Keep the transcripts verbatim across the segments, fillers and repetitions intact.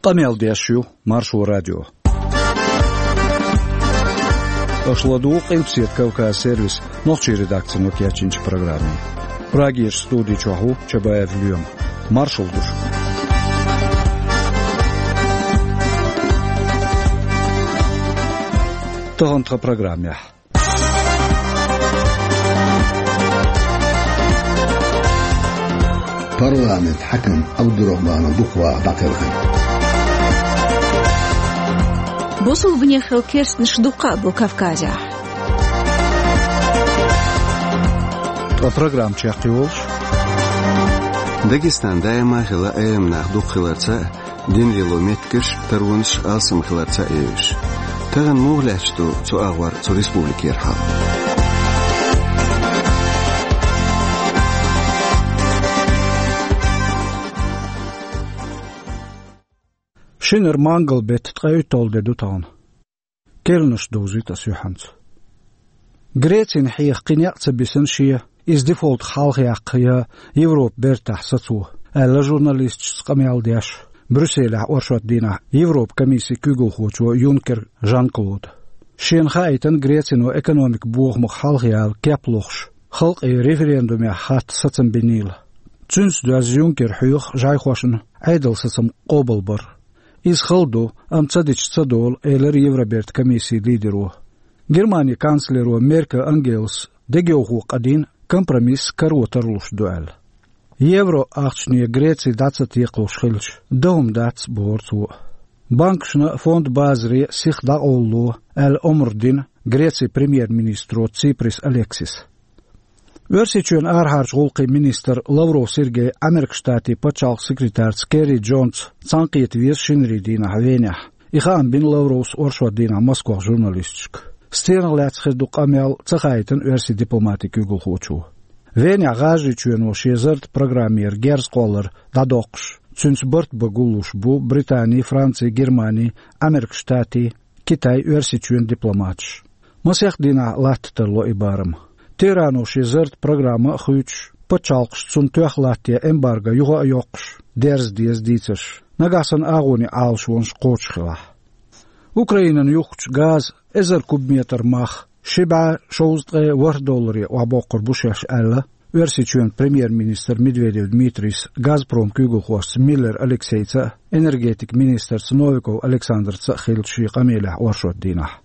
Къамел деш ю Маршо радио. Аша ладугӀу Къилбаседа Кавказ сервисан нохчийн редакцино кечйинчу программе. Прагерчу студи чохь ву Чабаев Лоьма. Маршалла ду шуьга. Тахана тхан программехь. Парламентан хьаькам Абдурахманов Дукхваха дӀакхелхина. Бусулбанехь керстанаш дуккха а бу Кавказехь. Ткъа программа чекхйолуш. Дагестан даима а хилла Ӏеламнах дукха хиларца а, дин лело меттигаш, таронаш алсам хиларца а евзаш. Тахана муха лаьтташ ду цу агӀор цу республикера хьал? Шинара мангал беттан ткъе уьтталгӀа де ду тахана. Керланаш довзуьйту ас юьхьанца. Грецина хьеха кхин некъ ца бисина шен, иза дефолтах хьалхаяккха я Европан бертахь сацо, аьлла журналисташца къамел деш, Брюсселехь оршот дийнахь Европан комиссин куьйгалхочо Юнкер Жан-Клода. Шена хаийтина, Грецино экономикан бохамах хьалхаяла кеп лохуш, халкъе референдумехь хатта сацам бинийла. Цуьнца доьзна Юнкера хьоьху жӀайхошна Ӏедалан сацам къобалбар. Иза хала ду, амма ца дича ца долу, элира Евробертан комиссин лидеро. Германин канцлеро Меркель Ангелас дегайовхо къадийна, компромисс каро тарлуш ду аьлла. Евро ахчане Греци дӀа ца текхалуш хилча, дан хӀума дац, бохура цо. Банкашна а, фондан базаре а сиха дӀакъовлало аьлла омра дина Грецин премьер-министро Циприс Алексиса. Оьрсийчоьнан арахьарчу гӀуллакхийн министр Лавров Сергей Ӏамеркан Штатийн пачхьалкхан секретарца Керри Джонца цхьаьнакхета веза шинарийн дийнахь Венехь. И хаам бина Лавровс оршот дийнахь Москвахь журналисташка. Стенах лаьцна хир ду къамел, ца хаийтина оьрсийн дипломатин куьйгалхочо. Венехь ГӀажарийчоьно шен зарратан программера герз кхоллар дӀадоккхуш, цуьнца барт бан гуллуш бу Британин, Францин, Германин, Ӏамеркан Штатийн, Китайн, Оьрсийчоьнан дипломаташ. Масех дийнахь латта тарло и барам. Техрано шен зарратан программа а хуьйцуш, пачхьалкхаш цунна тоьхна латтаен эмбарго юха а йоккхуш, дерза деза дийцарш. Нагахь санна агӀонийн Ӏалашонаш кхочуш хилахь. Украинана юхкучу газан эзар кубометр мах ши бӀе шовзткъе ворхӀ долларе охьабоккхур бу шаьш аьлла, Оьрсийчоьнан премьер-министр Медведев Дмитрийс Газпром куьйгалхошца Миллер Алексейца а, энергетикан министрца Новиков Александрца а хиллачу шен къамелехь оршот дийнахь.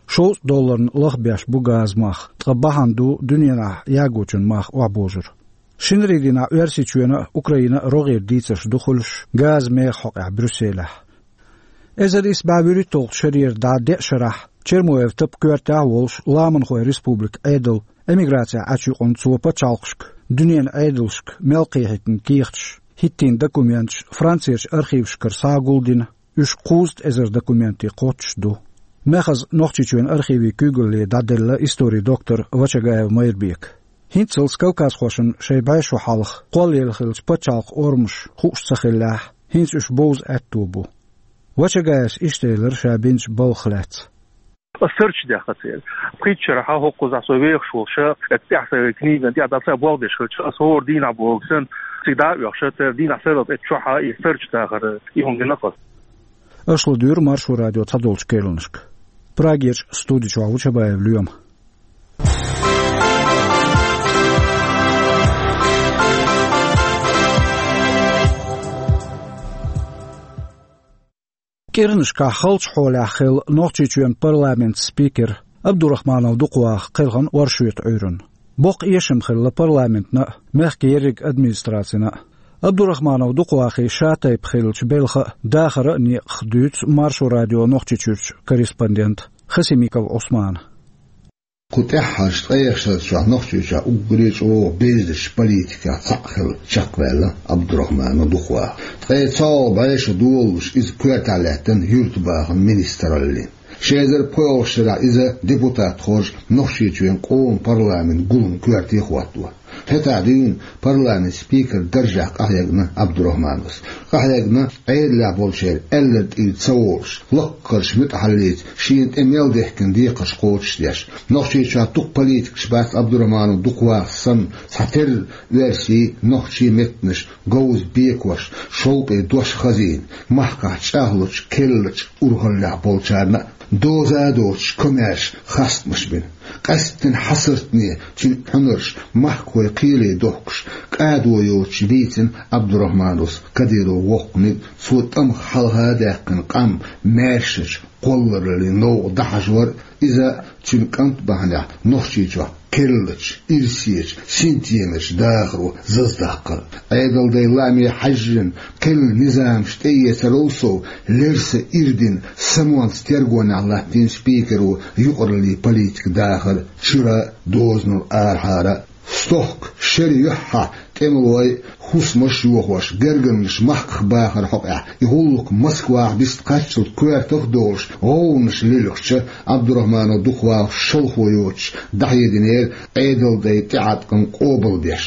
Шовзткъа долларна лахбеш бу газан мах, ткъа бахьана ду дуьненахь ягочун мах охьабожар. Шинарийн дийнахь Оьрсийчоьнан а, Украинан а рогӀера дийцарш ду хуьлуш газан механ хьокъехь Брюсселехь. Эзар исс бӀе вуьрхӀитталгӀачу шарера дӀа деа шарахь Чермоев Тапа коьртехь а волуш, Ламанхойн республикан Ӏедалан эмиграцехь Ӏачу юкъана цо пачхьалкхашка, дуьненан Ӏедалшка мел кхехьийтина кехаташ, хӀиттийна документаш Францерчу архивашкара схьа а гулдина, уьш кхузткъа эзар документе кхоччуш ду. Мехаза Нохчийчоьнан архивийн куьйгалле дӀаделла историн доктор Вачагаев Майрбека. ХӀинццалц кавказхошна шайн бӀе шо хьалха кхоллаелла хиллачу пачхьалкхан орамаш хууш ца хиллехь, хӀинца уьш бовза аьтто бу. Вачагаевс иштта элира ша бинчу балхах лаьцна. Ас сурт даьккхира церан. Пхийтта шарахь хӀокхузахь со вехаш волуш, тӀехь сайн книган тӀехь дӀа ца болх беш хилча, ас хӀора дийнахь боху санна, цига дӀа а оьхуш, церан дийнахь сарралц тӀе чохь и сурт дахар, и хӀума гина-кх ас. Аша ладуьйгӀу Маршо радион цхьадолчу керланашка. Прагерчу студи чохь ву Чабаев Лоьма. КӀирнашкахь халчу хьолехь хилла Нохчийчоьнан парламентан спикер Абдурахманов Дукхваха кхелхина оршотан Ӏуьйранна. Боккха эшам хилла парламентана а, мехкан ерриг администрацина а. Абдурахманов Дукхвахин шатайпа хиллачу белхан а, дахаран а некъах дуьйцу Маршо радион Нохчийчуьрчу корреспондента Хасимиков Ӏусмана. Кху тӀаьххьарчу ткъех шарчохь Нохчийчохь уггаре а чӀогӀа безачу политикех цхьаъ хилла чекхваьлла Абдурахманов Дукхваха. Ткъе цхьалгӀа бӀе шо долуш иза коьртехь лаьттина юьртабахаман министраллин. Ши эзар пхоьалгӀачу шарахь иза депутат хоржу Нохчийчоьнан къоман парламентан гулам коьрте хӀотто. ХӀетахь дуьйна парламент спикер даржехь къахьегна Абдурахмановс. Къахьегна Ӏедалехь болчеран аьлларг тӀера ца волуш, лаккхарчу муьтӀахьаллица шена тӀе мел дехкина декхарш кхочушдеш. Нохчийчохь дукха политикаш бац Абдурахманов дукха вахарх санна, цхьатерра оьрсийн, нохчийн меттанаш говза бекош, шовкъе дош хазийна, махкахь чӀагӀлучу, керлачу урхаллехь болчарна а доза а доцуш комаьрша хастамаш бина. Къаьсттина хьасартане цуьнан хьуьнарш махкахой кхеле дохкуш, кӀадо йоцуш дийцина Абдурахмановс Кадыровн воккханиг, цо тӀамах хьалха а даьккхина къам маьршачу кхоллараллин новкъа дӀахьажор а, иза цуьнан кӀант бахьанехь Нохчийчохь керлачу, ирсечу, синтемачу дахаро заздаккхар а. Ӏедалдайн лааме хьаьжжина, кхин низамаш тӀеэцарал сов, лерса ирдина, самонца тергонехь латтийна спикеро юкъараллин политикан дахар чуьра а, дозанал арахьара а. Стохка шеран юьххьехь тӀемалойн хӀусамаш а йохош, гергарнаш махках бахаран хьокъехь, и гӀуллакх Москвахь вист кхаччалц коьртах а долуш, гӀовгӀанаш лилхича, Абдурахманов дукха вахарх шалхо йоцуш дӀахьединера Ӏедалдайн тӀеӀаткъам къобалдеш.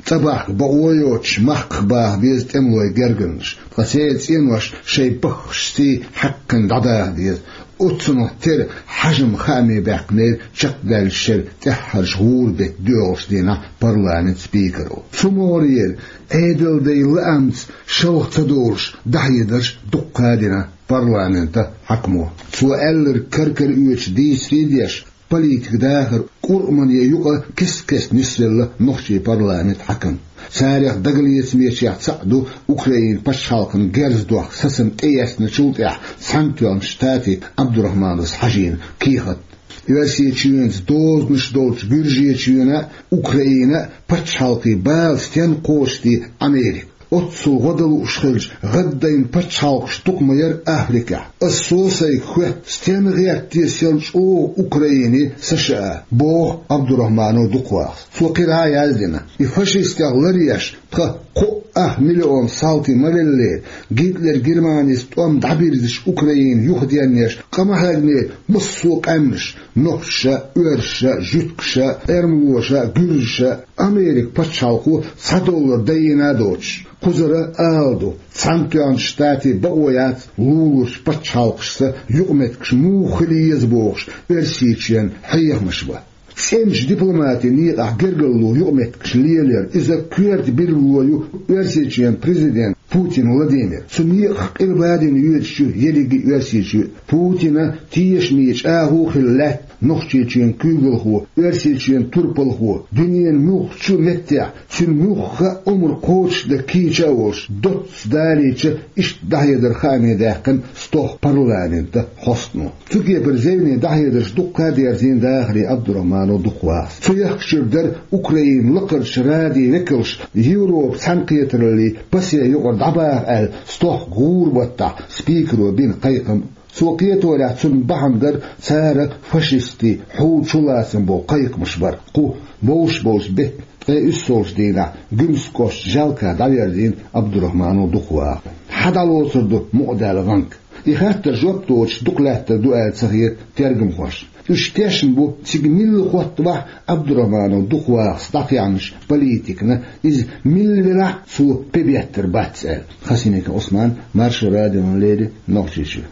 ЦӀа бахка бакъо йоцуш махках баха беза тӀемалойн гергарнаш, ткъа церан цӀенош шайн баххашций хьаькхна дӀадаха деза. Оццунах тера хьежам хааме баьккхинера чекхдаьллачу шеран тӀаьххьарчу гӀуран беттан доьалгӀачу дийнахь парламентан спикеро. Цу могӀарера Ӏедалдайн лаамца шалха ца долуш дӀахьедарш дуккха а дина парламентан хьаькамо. Цо аьлларг кара-кара оьцуш дийцаре а деш, политикан дахар кӀуръмане юкъа кест-кеста нисвелла нохчийн парламентан хьаькам. Царах дагалецамечех цхьаъ ду Украинан пачхьалкхана герз дохка сацам тӀеэцначул тӀаьхьа Цхьаьнатоьхначу Штатийн Абдурахмановс хьажийна кехат. Оьрсийчоьнца дозанаш долчу Гуьржийчоьнан а, Украинан а пачхьалкхийн бала стенна кхочушдо Америка? Оццул гӀо дан лууш хилча, гӀаддайна пачхьалкхаш дукха ма яра Африкехь. Ас со сайга хоьтту, стенна гӀерта те сел чӀогӀа Украинин, США, боху Абдурахманов дукха вахарх. Цо кхидӀа а яздина: и фашистех ларъеш, тхан кхоъ ах миллион салти ма веллера, Гитлер Германис тӀом дӀабирзича Украина юхаденъеш, къа ма хьегнера массо а къаьмнаш, нохчаша а, оьрсаша а, жуьгташа а, эрмалоша а, гуьржаша а. Американ пачхьалкхо цхьа доллар дайина а доцуш, кхузара а ала ду, Цхьаьнатоьхначу Штатийн бакъо яц луларчу пачхьалкхашца юкъаметтигаш муха хила еза бохуш, Оьрсийчоьнан хьехамаш бан. ЦӀеначу дипломатин некъахь гергарло юкъаметтигаш лелаяр, иза коьрта билгало ю Оьрсийчоьнан президент Путин Владимир. Цу некъах къилба а дина йоьдуш ю ерриге а Оьрсийчоь. Путинан тешаме чӀагӀо а хилла лаьтта Нохчийчоьнан куьйгалхо, Оьрсийчоьнан турпалхо, дуьненан муьлххачу а меттехь, цуьнан муьлхха а омра кхочушдан кийча а волуш, доцца далийча, иштта дӀахьедар хааме даьккхина стохка парламентан хьостано. Цу кепара зевне дӀахьедарш дуккха а дерзийна дахарийн Абдурахманов дукха вахарх. Цу ехкачуьра дара Украинан лакхарчу радин векалш Европан цхьаьнакхетараллин ПАСЕ юкъара дӀабаха аьлла стохка гӀуран баттахь спикеро бина кхайкхам. Цо кхеторехь, цунна бахьана дара цара фашистийн хьул чулацам боху кхайкхамаш бар. Кху бовш болчу беттан ткъе уьссалгӀачу дийнахь Гуьмсан кӀоштан Жалкахь дӀаверзийна Абдурахманов дукха вахарх. Хьан дӀалоцур ду мукъадаьлла гӀанка? И хаттарна жоп доцуш дукха лаьттар ду аьлла ца хета тергамхошна. Уьш тешна бу, цига милла хӀоттавахь а, Абдурахманов дукха вахарх дӀакхехьначу политикана иза милла велахь а, цо пе беттар бац аьлла. Хасимиков Ӏусман, Маршо радиона леррина, Нохчийчоь.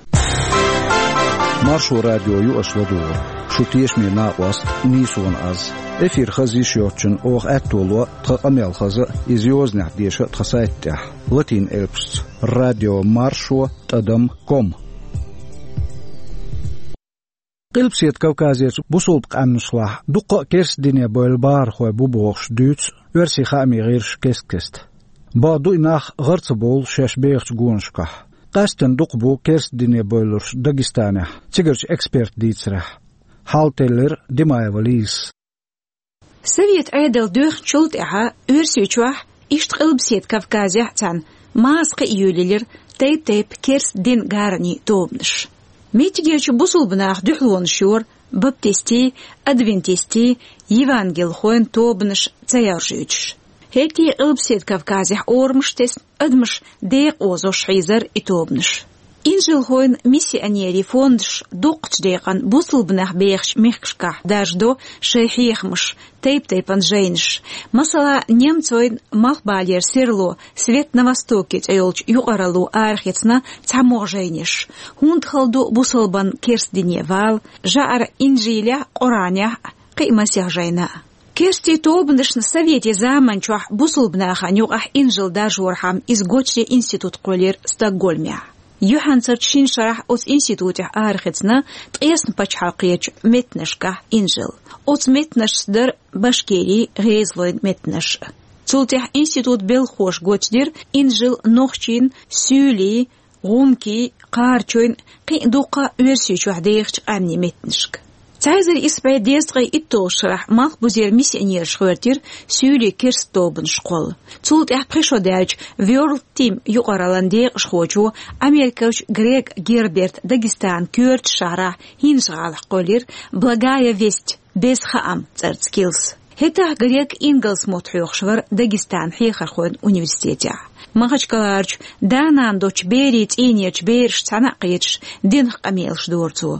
Маршо радио ю аша ладугӀург. Шун тешаме накъост нийсонан аз. Эфир хаза йиш йоцчунна оха аьтто ло тхан къамел хаза а, иза йозанехь деша а тхан сайта тӀехь, латин элпашца: радио маршо тӀадам ком. Къилбаседа Кавказерчу бусалба къаьмнашлахь дуккха а керста дине бевлла бахархой бу бохуш дуьйцу оьрсийн хаамийн гӀирсаша кест-кеста. Бакъду, и нах гӀар ца бовлу шаьш бехачу гонашкахь. Къаьсттина дукха бу керста дине бевлларш Дагестанехь, цигарчу эксперта дийцарехь. Хьал теллира Димаева Лизас. Совет Ӏедал доьхначул тӀаьхьа Оьрсийчохь, иштта Къилбаседа Кавказехь а цхьаьна, массо а кхиа йолаелира тайп-тайпана керста динан гаранийн тобанаш. Меттигерчу бусалба наха дуьхьалонаш йора баптистийн, адвентистийн, евангелхойн тобанаш ца яржуьйтуш. ХӀетте а Къилбаседа Кавказехь орамаш тесна, адамаш декъа озош хьийзара и тобанаш. Инжилхойн миссионерийн фондаш дукхачу декъан бусулба нах бехачу мехкашкахь даржадо шайн хьехамаш, тайп-тайпана жайнаш. Масала, немцойн малхбалера серло «Свет на Востоке» цӀе йолчу юкъаралло арахецна цхьамогӀа жайнаш. ХӀунда хала ду бусалбан керста дине вала, жаӀара Инжилехь, Къуранехь, кхин а масех жайна. Керстийн тобанашна советийн заманчохь бусулба нахана юкъахь инжил даржорхьама иза гочде институт кхоьллира Стокгольмехь. Юьхьанцарчу шина шарахь оцу институтехь арахецна ткъесна пачхьалкхерчу меттанашкахь инжил. Оцу меттанашца дара башкирийн, гӀезалойн меттанаш. Цул тӀаьхьа институтан белхахоша гочдира инжил нохчийн, суьйлийн, гӀумкийн, кхарачойн, кхин а дуккха а Оьрсийчохь дехачу къаьмнийн меттанашка. Цхьа эзар исс бӀе дезткъе итталгӀачу шарахь малхбузера миссионераш гӀоьртира суьйлийн керста тобанаш кхолла. Цул тӀаьхьа пхи шо даьлча World Team юкъараллан декъашхочо Америкерчу Грег Герберта Дагестанан коьртачу шахьарахь ХӀинжа-ГӀалахь кхоьллира «Благая весть», «Беза хаам» цӀарца килс. ХӀетахь Грег ингалс мотт хьоьхуш вара Дагестанан хьехархойн университетехь. Махачкаларчу да-нана доцчу берийн цӀийнерчу берашца цхьаьна а кхеташ, динах къамелаш дора цо.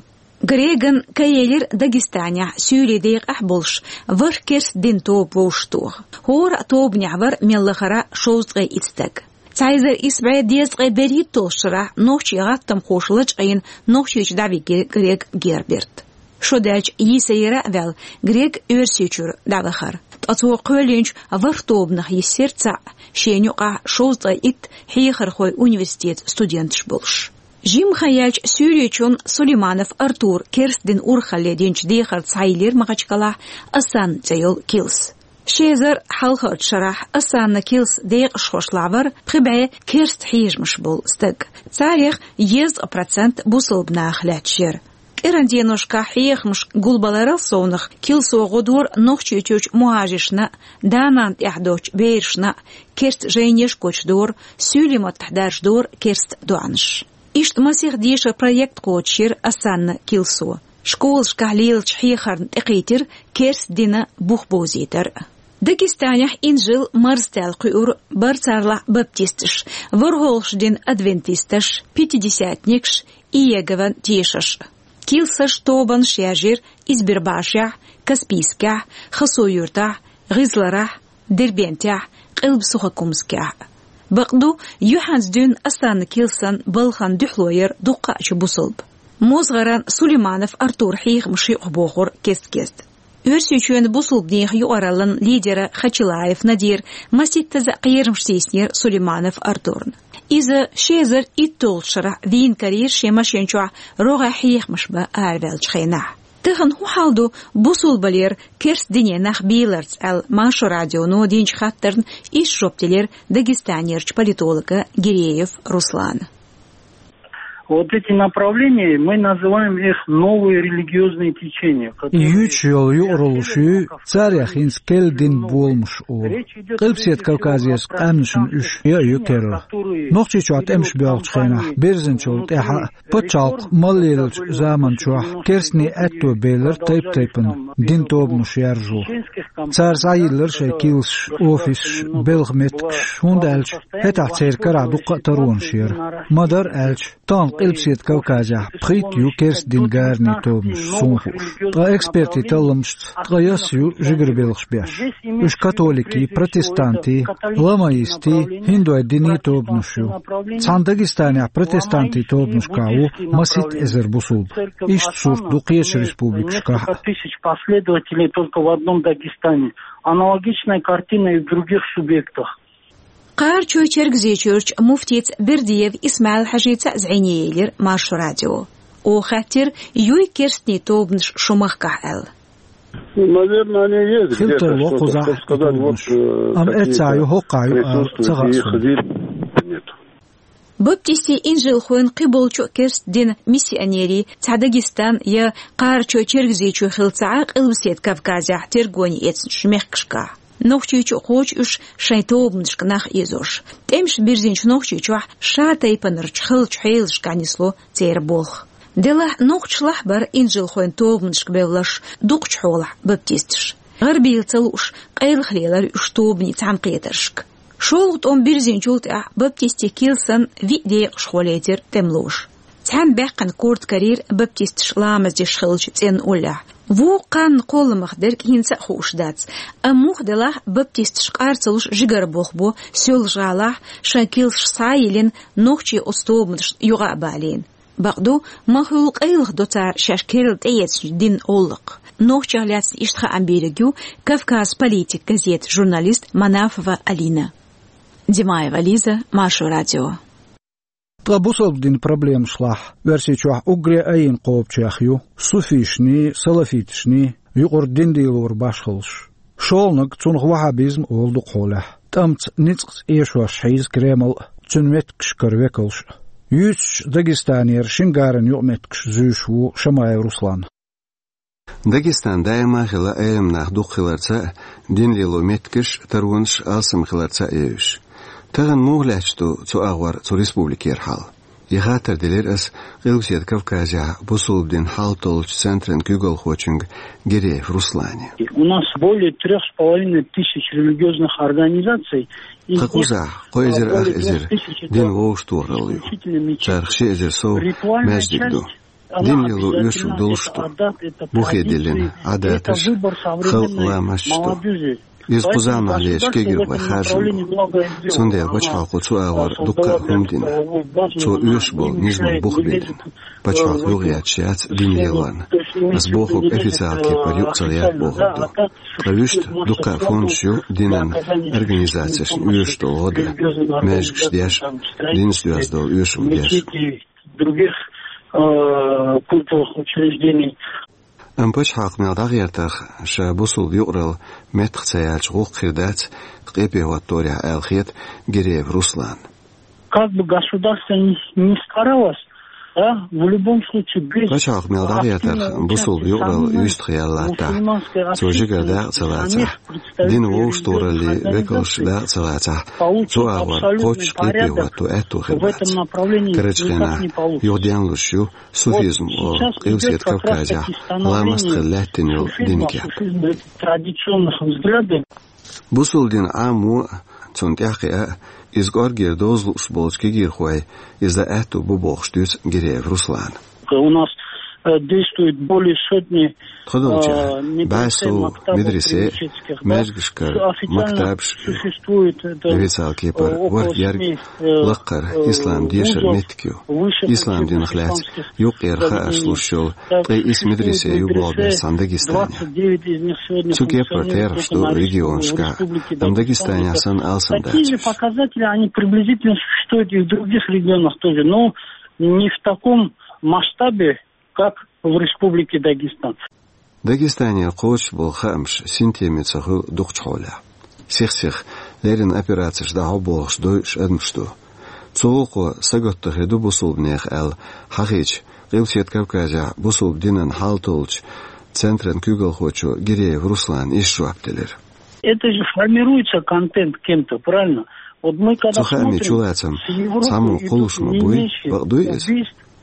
Греган кхаелира Дагестанехь суьйлийн декъехь болуш ворхӀ керста динан тоба вовшахтоха. ХӀора а тобанехь вара мел лахара шовзткъе итт стаг. Цхьа эзар исс бӀе дезткъе берхӀитталгӀачу шарахь нохчийн гӀаттамхоша лачкъийна Нохчийчу дӀавигира Грег Герберт. Шо даьлча йийсарера а ваьлла, Грег Оьрсийчуьра дӀавахара. Ткъа цо кхоьллинчу ворхӀ тобанах йиссира цхьаъ, шена юкъахь шовзткъе итт хьехархойн университетан студенташ болуш. Жимма хан яьлча Суьйричун Сулейманов Артура керста динан урхалле динчу дехарца схьайиллира Махачкалахь Осанна цӀе йолу килс. Ши эзар хьалхарчу шарахь Осанна килсан декъашхошлахь вара пхи бӀе керста хьежамаш болу стаг. Царех дезткъа процент бусалба нахах лаьтташ яра. КӀиран деношкахь хьехамаш гулбаларал совнах килсо гӀо дора Нохчийчуьрчу мухӀажиршна а, да-нана тӀехь доцчу берашна а керста жайнаш гочдора, суьйлийн маттахь даржадора керста доӀанаш. Иштта масех дешаран проект кхочушйира Осанна килсо. Школашкахь лелачу хьехарна тӀекхийтира керста динан бух бовзийтар. Дагестанехь инжил марзтаьлла кхуьура барцарлахь баптисташ, ворхӀалгӀачу динан адвентисташ, пятидесятникаш, Иегован тешаш. Килсаш, тобанаш яьржира Избербашехь, Каспийскехь, Хасавюртахь, ГӀизларахь, Дербентехь, Къилба-Сухокумскехь. Бакъду, юьхьанца дуьйна Осанна килсан балхана дуьхьало яра дуккхачу бусалба. МозгӀаран Сулейманов Артура хьехамаш юкъахбохура кест-кеста. Оьрсийчоьнан бусалбанийн юкъараллан лидера Хачилаев Надира масийттаза кхерамаш тийсинера Сулейманов Артурна. Иза ши эзар итталгӀачу шарахь вийна карийра шен машен чохь рогӀехь хьехамаш бан араваьллачу хенахь. Тахана хӀун хьал ду бусалбалера керста дине нах бийларца аьлла, Маршо радионо динчу хаттарна иштта жоп делира Дагестанерчу политолога Гиреев Руслана. Вот эти направления, мы называем их новые религиозные течения, которые... И юьйцуш йолу юкъараллаш ю, царех хӀинца керста динан боламаш олу. Къилбаседа Кавказерчу къаьмнашна уьш я а ю керла. Нохчийчохь тӀемаш боьлхучу хенахь бирзинчул тӀаьхьа а пачхьалкх мел леллачу заманчохь керстанийн аьтто белира тайп-тайпана динан тобанаш яржо. Цара схьайиллира шайн килсаш, офисаш, белхан меттигаш, хӀунда аьлча хӀетахь церан карахь дуккха а таронаш яра. Ма-дарра аьлча, тахана Къилбаседа Кавказехь пхийтта ю керста динан гаранийн тобанаш, суна хууш. Ткъа экспертийн талламашца ткъе ялх ю жигара белхаш беш. Уьш католикийн, протестантийн, ламаистийн, хӀиндойн динийн тобанаш ю. Цхьана Дагестанехь протестантийн тобанашкахь ву масийтта эзар бусалба. Иштта сурт ду кхечу республикашкахь а. Тысяч последователей только в одном Дагестане. Аналогичная картина и в других субъектах. Кхарачой-Чергазийчуьрчу муфтица Бердиев Исмаил-Хьажица а зӀене елира Маршо радио. Оха хаьттира, юй керстанийн тобанаш шун махкахь аьлла. Ну, наверное, они есть где-то. Хила тарло кхузахь и тобанаш. Амма эццахь ю, хӀокхахь ю ала ца хаьа суна. Баптистийн инжилхойн кхиболчу а керста динан миссионерийн цхьа Дагестан я Кхарачой-Чергазийчоь хилла ца Ӏа Къилбаседа Кавказехь тергоне эцначу мехкашкахь. Нохчийчу а кхочу уьш шайн тобанашка нах ийзош. ТӀемаш бирзинчу Нохчийчохь ша тайпанарчу халачу хьелашкахь нисло церан болх. Делахь нохчашлахь бара инжилхойн тобанашка бевлларш дукхачу хьолахь баптисташ. ГӀарабийла ца лууш, къайлаха лелара уьш тобанийн цхьаьнакхетаршка. ШолгӀа тӀом бирзинчул тӀаьхьа баптистийн килсан виъ декъашхо лецира тӀемалоша. цхьана баьккхина корта карийра баптисташ ламаз деш хилча цӀенна уллехь. Вукху кхаанна кхолламах дерг хӀинца а хууш дац. Амма муха делахь а, баптисташ къар ца луш жигара болх бо Соьлжа-ГӀалахь, шайн килсаш схьа а йиллина, нохчий оцу тобанашна юкъа а балийна. Бакъду, ма хуьллу къайлаха до цара шаьш керла тӀеэцначу динан гӀуллакх. Нохчех лаьцна иштта хаам бийриг ю «Кавказ политик» газетан журналист Манафова Алина. Димаева Лиза, Маршо радио. Ткъа бусалба динан проблемашлахь Оьрсийчохь уггаре айина кхобучех ю суфийшний, салафиташний юкъара дин лелоран башхаллаш. ШолгӀаниг цунах ваххабизм олу дукхахьолехь. ТӀамца ницкъаца эшош хьийза Кремль а, цуьнан меттигашкара векалш а. Юьйцучу Дагестанера шина гаран юкъаметтигаш зуьйш ву Шамаев Руслан. Дагестан даима а хилла Ӏеламнах дукха хиларца а, дин лело меттигаш а, таронаш а алсам хиларца а евзаш. Тахана муха лаьтташ ду цу агӀор цу республикера хьал? И хаттар делира ас Къилбаседа Кавказехь бусалба динан хьал толлучу центран куьйгалхочуьнга Гиреев Руслане. У нас более трёх с половиной тысяч религиозных организаций. Тхан кхузахь кхо эзар ах эзар динан вовшахтохаралла ю. Царах ши эзар сов маьждиг ду. Дин лело оьшург долуш ду. Бухе диллина Ӏадаташ, халкъан ламасташ ду. Иза кху заманахь лелаш кегийрхой харжам бу. Цундела пачхьалкхо цу агӀор дуккха а хӀума дина. Цо оьшуш болу низаман бух биллина. Пачхьалкх юхагӀетташ яц дин лелорна. Ас бохург официалан кепара юкъа ца лаьтта бохург ду. Ткъа вуьшта дуккха а фондаш ю динан организацешна оьшуш долу гӀо дан, маьждигаш деш, динца доьзна долу оьшуш деш. Других, э, культовых учреждений. Амма пачхьалкх мел дӀагӀертарх, ша бусалба юкъаралла меттах ца яьлча гӀуллакх хир дац къепе хӀотторехь аьлла хета Гиреев Руслана. Как бы государство ни, ни старалось, да, в любом случае без активного участия мусульманской общественности, без динан вовшахтохараллин векалш дакъа ца лацахь, цу агӀор кхоччуш къепе хӀотто аьтто хир бац. Карарчу хенахь юха денлуш ю суфизм олу Къилбаседа Кавказехь ламаст хилла лаьттина йолу динан кеп. Бусалба дин Ӏамо а, цунна тӀаьхьакхиа а, иза кӀоргера доза лууш болчу кегийрхой иза дан аьтто бу бохуш дуьйцу Гиреев Руслана. У нас, э, действует более сотни Тхо долчохь бӀе сов медресе а, маьждигашкара мактабаш а ю. Официалан кепара ворхӀ ерг лаккхара ислам дешаран меттиг ю. Ислам динах лаьцна юккъера хаарш луш йолу ткъе исс медресе ю болх беш цхьана Дагестанехь. Цу кепара терахьаш ду регионашкахь, амма Дагестанехь санна алсам дац уьш. Такие же показатели, они приблизительно существуют и в других регионах тоже, но не в таком масштабе, как в Республике Дагестан. Дагестанера кхочуш болу хаамаш синтеме ца хуьлу дукхачу хьолехь. Сих-сиха леррина операцеш дӀахьо бохуш дойуш адамаш ду. Цу гӀуллакхо сагатдан хир ду бусалбанех аьлла хьахийча, Къилбаседа Кавказехь бусалба динан хьал толлучу центран куьйгалхочо Гиреев Руслана иштта жоп делира. Это же формируется контент кем-то, правильно? Вот мы когда смотрим с Европы, и тут не меньше убийств, там, кражей, там, и так далее, преступных намерений, которые существуют. Цу хаамийн чулацам цхьаммо кхуллуш ма буй, бакъ дуй иза.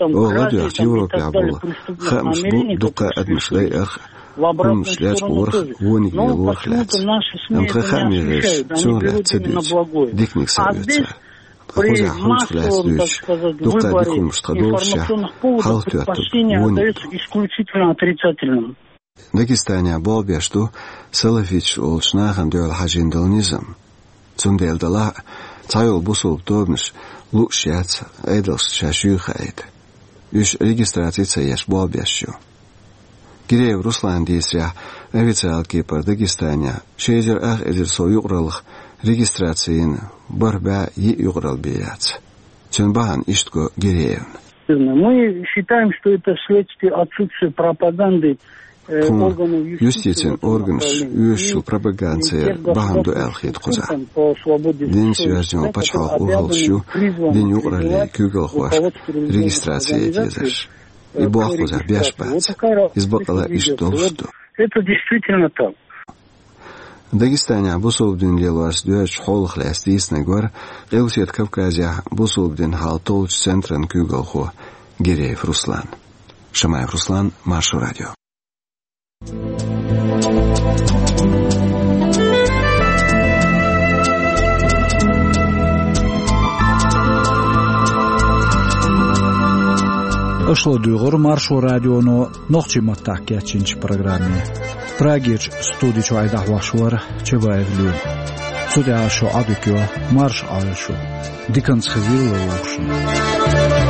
Олалла дуьхьа Европехь болу хаамаш бу дуккха а адамаш дайарх, хӀуманаш лечкъорах, вониг лелорах лаьцна. Амма тхан хаамийн гӀирсаша чу лаьцна ца дуьйцу. Диканиг ца оьцу цара. Ткъа кхузахь хӀуманах лаьцна дуьйцуш, дуккха а дика хӀуманаш тхан долушшехь, хьалхатоьттург вониг ду. Дагестанехь болх беш ду салафиташ олучу нахана дуьхьал хьажийна долу низам. Цундела делахь а, цхьайолу бусалба тобанаш лууш яц Ӏедалшна шаьш юй хаийта. Уьш регистраци ца еш болх беш ю. Гиреев Руслана дийцарехь, официалан кепара Дагестанехь ши эзар ах эзар сов юкъараллах регистраци йина бархӀ бӀе йиъ юкъаралла бен яц. Цуьнан бахьана иштта го Гиреевна. Мы считаем, что это вследствие отсутствия пропаганды, э, органов юстиции в этом направлении. Тхуна юстицин органаш оьшучу пропагандера бахьана ду аьлла хета кхузахь. Динца йоьзна йолу пачхьалкхан урхаллаш ю динан юкъараллин куьйгалхошна регистраци яйта езарш. И болх кхузахь беш бац. Иза бакъалла иштта долуш ду. Это действительно так. Дагестанехь бусалба дин лелорца доьзначу хьолах лаьцна дийцинарг вара Къилбаседа Кавказехь бусалба динан хьал толлучу центран куьйгалхо Гиреев Руслан. Шамаев Руслан, Маршо радио. Аша ладугӀура Маршо радионо нохчийн маттахь кечйинчу программе. Прагерчу студи чохь и дӀахьош вара Чабаев Лоьма. Цу тӀехь шун Ӏадика йо, марша Ӏойла шу. Диканца хезийла вовшашна.